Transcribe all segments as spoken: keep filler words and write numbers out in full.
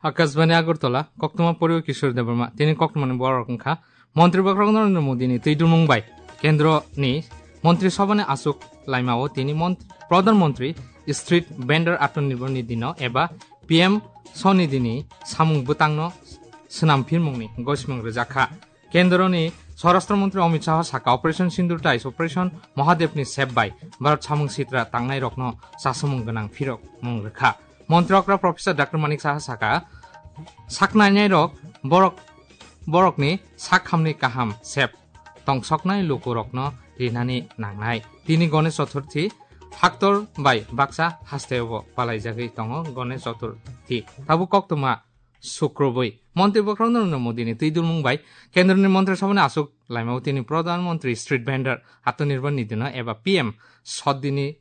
Akashbani Agartala, koktwma poriwo Kishore Debbarma, tini koktwmani borok wngkha, Montri Bokhorok Narendra Modi ni twi dulmung bai Kendro ni Montri Sabha ni aswk laimao tini Mont-, Pradhan Mantri Street Vendor Atmanirbhar Nidhi no eba P M Swanidhi ni samung bwtang no swnam phirmung ni gosimung rwjak kha. Kendroni Swarashtra Mantri Amit Shah saka Operation Sindoor tai Operation Mahadev ni sep bai Bharat samung sitra tangnai rokno chasomung gwnang phirok mung rwkha. Montri okra Professor Doctor Manik Saha saka saknainai rok borok, borokni sakhamni kaham sep tongsoknai lukurokno rinani nangnai. Tini Ganesh Chaturthi haktor bai baksa hasteo palaijagwi tongo Ganesh Chaturthi. Tabuk koktwma Sukrubui. Montri Bokhorok Narendra Modi ni twi dulmung bai Kendroni Montri Sabha ni aswk laimao tini Pradhan Mantri Street Vendor Atmanirbhar Nidhi no eba P M Swadhini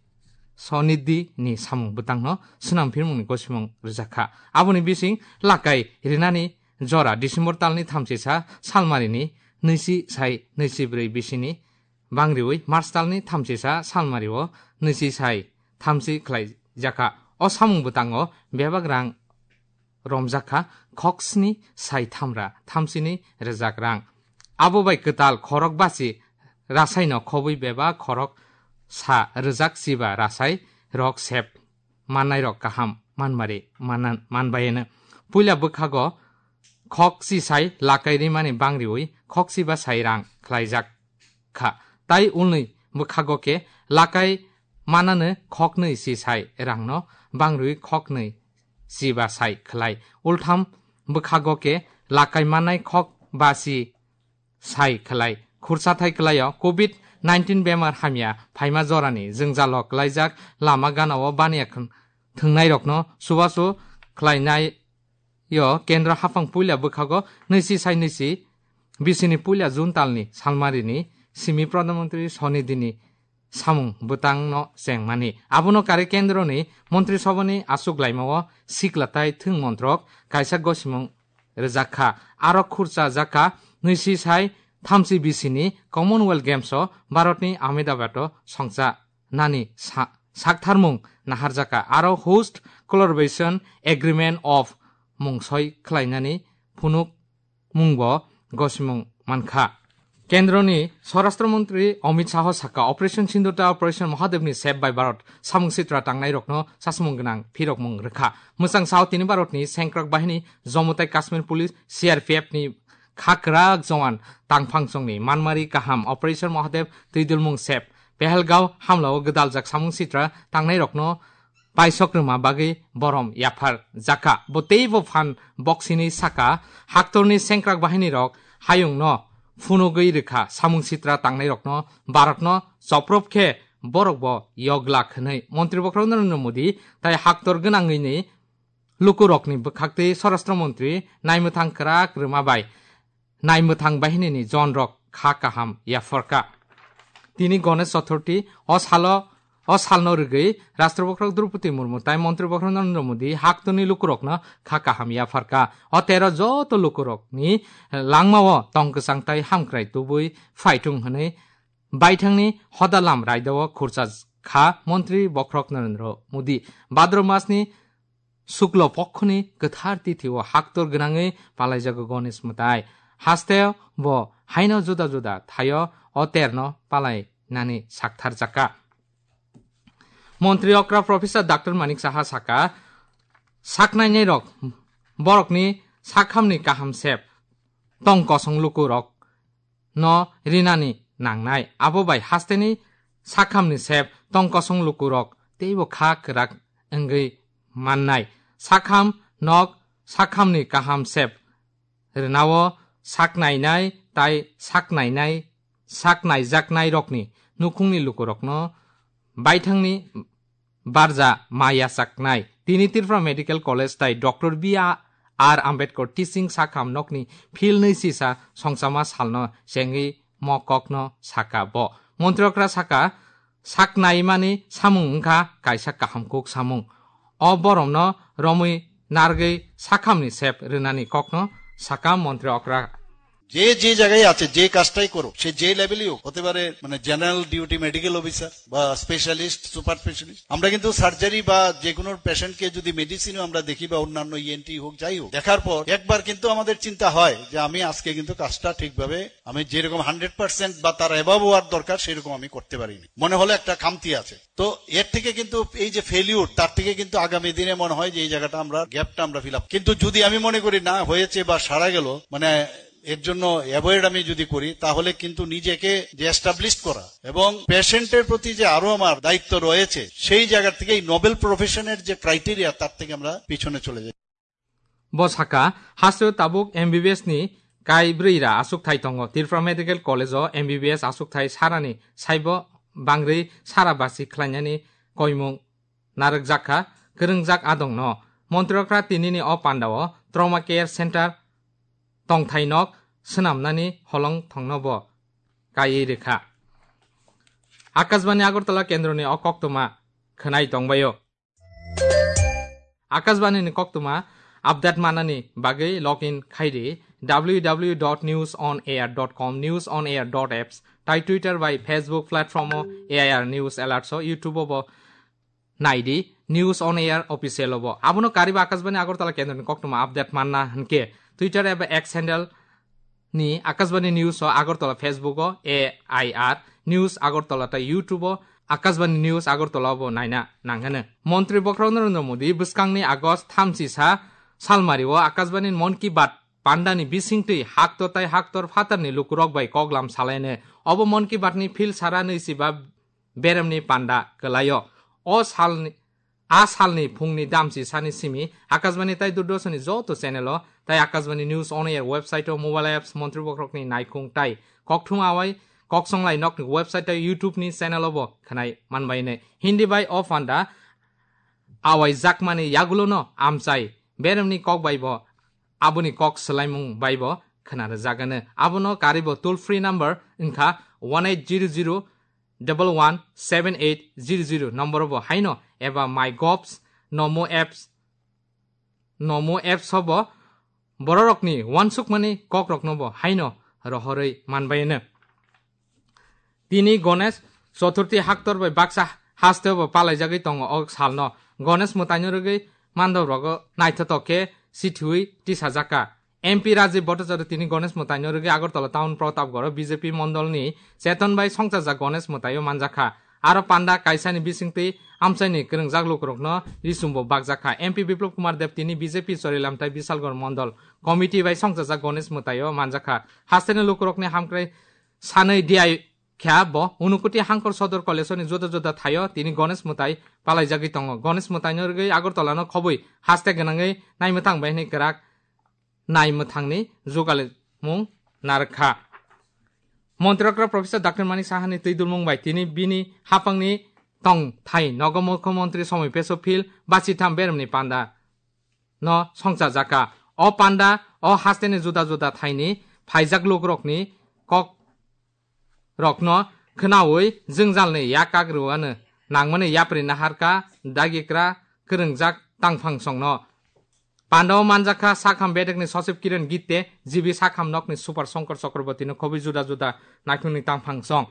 Swanidhi ni samung bwtang no swnam phirmung ni gosimung rwjak kha. Aboni bising lakai rinani jora December tal ni thamchisa salmari ni nwichi sai nwichi bwrwi bisini bangriwi March tal ni thamchisa salmari o nwichi sai thamchi khlai jakha. O samung bwtango bebak rang romjak kha khok sni sai thamra thamsini rwjak rang. Abo bai kwtal khorok basi rasaino khobwi bebak khorok sa rwjak chiba rasai rok sep mannai rok kaham manmari manan-, manbayeno. Puila bwkhago khok chisai lakai rimani bangriwi khok chiba sai rang khlaijak kha. Tai ulni bwkhago khe lakai manano khoknwi chisai rangno bangriwi khoknwi chiba sai khlai. Ultham bwkhago khe lakai manai khok basi sai khlai. Khursa thai kwlaio covid nineteen bemar hamya phaima jorani jwngjalo kwlaijak lama ganao baniya khn-, thwngnairokno chubachu khlainai yo kendro haphang puila bwkhago nwichi sai nwichi bisini puila June talni salmarini simi Pradhan Mantri Swanidhini samung bwtangno chengmani. Abono kare kendroni Montri Sabhani aswk laimao sikla tai thwng montrok kaisa gosimung rwjak kha. Aro khurcha jak kha nwichi sai thamchi bisini Commonwealth Games o Bharatni Ahmedabad o songcha nani sa-, saktharmung naharjaka aro Host Collaboration Agreement of mung soi khlainani phunuk mungbo gosimung mankha. Kendroni Swarashtra Mantri Amit Shah saka Operation Sindoor ta Operation Mahadev ni sep bai Bharat samung sitra tangnai rokno sasmung gwnang phirokmung rwkha. Mwchang sao tini Bharatni sengkrak bahini Jammu tai Kashmir Police C R P F ni khakrak jowan tangphang chongni manmari kaham Operation Mahadev twidulmung sep Pehelgao hamlao gwdaljak samung sitra tangnairokno paisok rwma bagwi borom yaphar jakha. Bo teibo phan boksini saka haktorni sengkrak bahinirok hayungno phunugwi rwkha samung sitra tangnairokno Bharatno choprop khe borokbo yoglak hwnwi Montri Bokhorok Narendra Modi tai haktor gwnangwini lukurokni bwkhaktwi Swarashtra Montri naimwthang kwrak rwma bai naimwthang bahinini jonrok kha kaham yapharkha. Tini Ganesh Chaturthi o salo, o salno rwgwi Rashtra Bokhorok Droupadi Murmu tai Montri Bokhorok Narendra Modi haktorni lukurokno kha kaham yapharkha. O tero joto lukurokni langmao tong kwchang tai hamkrai tubui phaitung hwnwi baithangni hoda lam raidao khurcha kha Montri Bokhorok Narendra Modi. Bhadra masni Shuklo pokhoni kwthar tithio haktor gwnangwi palaijago Ganesh mwtai. Haste bo haino juda juda thaio o terno palainani saktharjakha. Montri okra Professor Doctor Manik Saha saka, saknainairok borokni sakhamni kaham sep tong kosong lukurok no rinani nangnai. Abo bai hasteni sakhamni sep tong kosong lukurok teibo kha kwrak wngwi mannai. Sakham nok sakhamni kaham sep rwnao saknainai tai saknainai, saknaijaknairokni nukhungni lukurokno baithangni barja ma yachaknai. Tini Tripura Medical College tai Doctor B R Ambedkar Teaching Sakham nokni philnwi sisa songchama salno chengwi mo kokno saka bo. Montri okra saka, saknaimani samung wngkha kaisa kaham kuk samung. O boromno romwi nargwi sakhamni sep rwnani kokno saka montri okra. যে যে জায়গায় আছে, যে কাজটাই করুক, সে যে লেভেলই হোক, হতে পারে মানে জেনারেল ডিউটি মেডিকেল অফিসার বা স্পেশালিস্ট, সুপার স্পেশালিস্ট। আমরা কিন্তু সার্জারি বা যে কোনো পেশেন্টকে যদি মেডিসিনও আমরা দেখি বা অন্যান্য ইএনটি হোক, যাই হোক, দেখার পর একবার কিন্তু আমাদের চিন্তা হয় যে আমি আজকে কিন্তু কাজটা ঠিকভাবে, আমি যেরকম হান্ড্রেড পার্সেন্ট বা তার অ্যাবাভ হওয়ার দরকার সেরকম আমি করতে পারিনি, মনে হলো একটা খামতি আছে। তো এর থেকে কিন্তু এই যে ফেলিউর, তার থেকে কিন্তু আগামী দিনে মনে হয় যে এই জায়গাটা আমরা, গ্যাপটা আমরা ফিল আপ। কিন্তু যদি আমি মনে করি না হয়েছে বা সারা গেল, মানে এর জন্য অ্যাভয়েড আমি যদি করি, তাহলে কিন্তু নিজেকে যে এস্টাবলিশ করা এবং পেশেন্টের প্রতি যে আরো আমার দায়িত্ব রয়েছে, সেই জায়গা থেকে এই নোবেল প্রফেশনের যে ক্রাইটেরিয়া, তার থেকে আমরা পিছনে চলে যাই। Bo saka, hasteo tabuk M B B S ni kai brwi ra aswk thai tongo. Tripura Medical College o M B B S aswk thai sarani saibo bangrwi sara basi khlainani koimung narwkjakha kwrwngjak adongno. Montrokra tinini o pandao Trauma Care Center tongthai nok swnamnani holong thongno bo kaiwi rwkha. Akashbani Agartala kendroni o koktwma khwnai tongbaio. Akashbani ni koktwma update manani bagwi login khaidi W W W dot news on air dot com, news on air dot apps, tai Twitter bai Facebook platform o A I R News Alerts o, YouTube o bo naidi News on Air Official o bo. Abono kariba Akashbani Agartala kendroni koktwma update manna hwnkhe Twitter eba X handle ni Akashbani News o Agartala, Facebook o A I R News Agartala tai YouTube o Akashbani News Agartala bo naina nanghano. Montri Bokhorok Narendra Modi bwskangni August thamchi sa salmari o Akashbani Mon Ki Baat pandani bisingtwi haktor tai haktor phatarni lukurok bai koklam salaine. Obo Mon Ki Baat ni phil sara nwi siba beremni panda kwlaio. O salni A salni phungni damchi sani simi Akashbani tai Doordarshan ni joto channel o tai Akashbani News on Air website o, mobile apps, montri bokhorokni naikhung tai kokthum awai koksonglai nokni website tai YouTube ni channel o bo khwnai manbaine. Hindi bai o panda awai jakmani yagulo no amchai beremni kok bai bo aboni kok swlaimung bai bo khwnarwjagano. Abono karibo toll free number wngkha one eight zero zero double one seven eight zero zero number bo haino eba MyGov's Nomo apps, Nomo apps o bo bororokni wansukmani kokrokno bo haino rohorwi manbaino. Tini Ganesh Chaturthi haktor bai baksa hasteo bo palaijagwi tongo o salno. Ganesh mwtaino rwgwi mandobrogo naithotok khe sithiwi tisajak kha. M P Rajiv Bhattacharya tini Ganesh mwtaino rwgwi Agartala Town Pratapgarh o B J P mondolni Cheton bai songchajak Ganesh mwtaio manjakha. Aro panda kaisani bisingtwi amchaini kwrwngjak lukurokno risumbo bakjakha. M P Biplab Kumar Deb tini B J P Chorilam tai Bisalgarh mondol committee bai songchajak Ganesh mwtaio manjakha. Hasteni lukurokni hamkrai sanwi diai kha bo Unakoti Hangkor Sodor Kaleshwarni juda juda thaio tini Ganesh mwtai palaijagwi tongo. Ganesh mwtaino rwgwi Agartalano khobwi haste gwnangwi naimwthang bai hwnwi kwrak naimwthangni jugalimung narwkha. Montri okra Professor Doctor Manik Sahani twidulmung bai tini bini haphangni tongthai nogo Mukhyamantri Somoi Peso Field bachitham beremni panda no songchajakha. O panda o hasteni juda juda thaini phaijak lukurokni kok rokno khwnawi jwngjalni yakak rwano nangmani yapri naharkha dagikra kwrwngjak tangphang songno. Pandao manjakha sakham bedekni Sachib Kiran Gitte, G B sakham nokni Super Shankar Chakrabortino khobwi juda juda naikhungni tangphang song.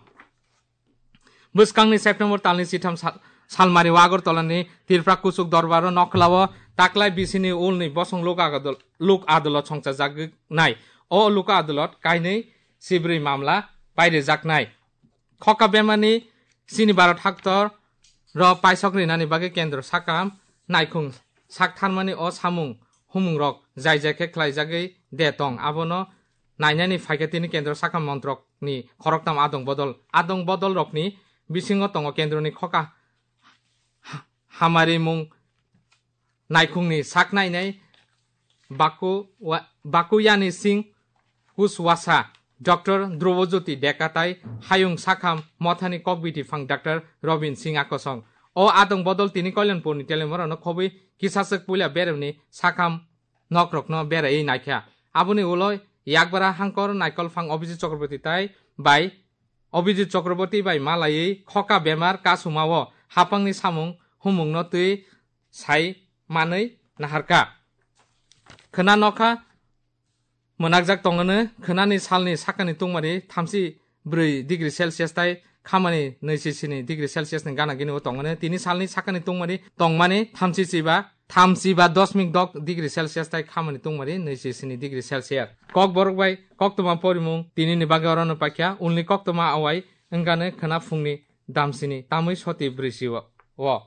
Bwskangni September talni chitham sal, salmari o Agartalani Tripura Kuchuk Dorbaro nokhlao taklai bisini ulni bosong lok adol-, lok adolot songchajaknai. O lok adolot kainwi sibrwi mamla pairijaknai. Khoka bemani chini Bharat haktor ro paisok rinani bagwi kendro sakam naikhung sak tharmani o samung humung rok jai jai khe khlaijagwi de tong, abono nainani phaikhe tini kendro sakam montrok ni khoroktham adong bodol, adong bodol rokni bisingo tongo kendroni khoka ha-, hamarimung naikhungni sak nainai Baku-, wa-, Bakuyani Singh Kushwaha, Doctor Dhrubajyoti Deka tai Hayung Sakham Mothani Kokbiti Phang Doctor Robin Singh Akosong. O adong bodol tini Kalyanpurni telemorano khobwi kisaswk puila beremni sakham nokrokno beraiwi naikha. Aboni ulo yakbara hangkor naikol phang Abhijit Chakraborty tai bai Abhijit Chakraborty bai malaiwi khoka bemar kasumao haphangni samung humungno twi sai manwi naharkha. Khwna nokha Mwnakjak tongano khwnani salni sakani tungmani thamsi brwi degree Celsius tai khamani nwichi sini degree Celsius ni gana gini o tongmani. Tini salni sakani tungmani tongmani thamsi chiba, thamsi ba dosmik dok degree Celsius tai khamani tungmani nwichi sini degree Celsius. Kokborok bai koktwma porimung tini ni bagwi orono paikha, ulni koktwma awai wngkha khwna phungni damsini tamwi soti brwi si o.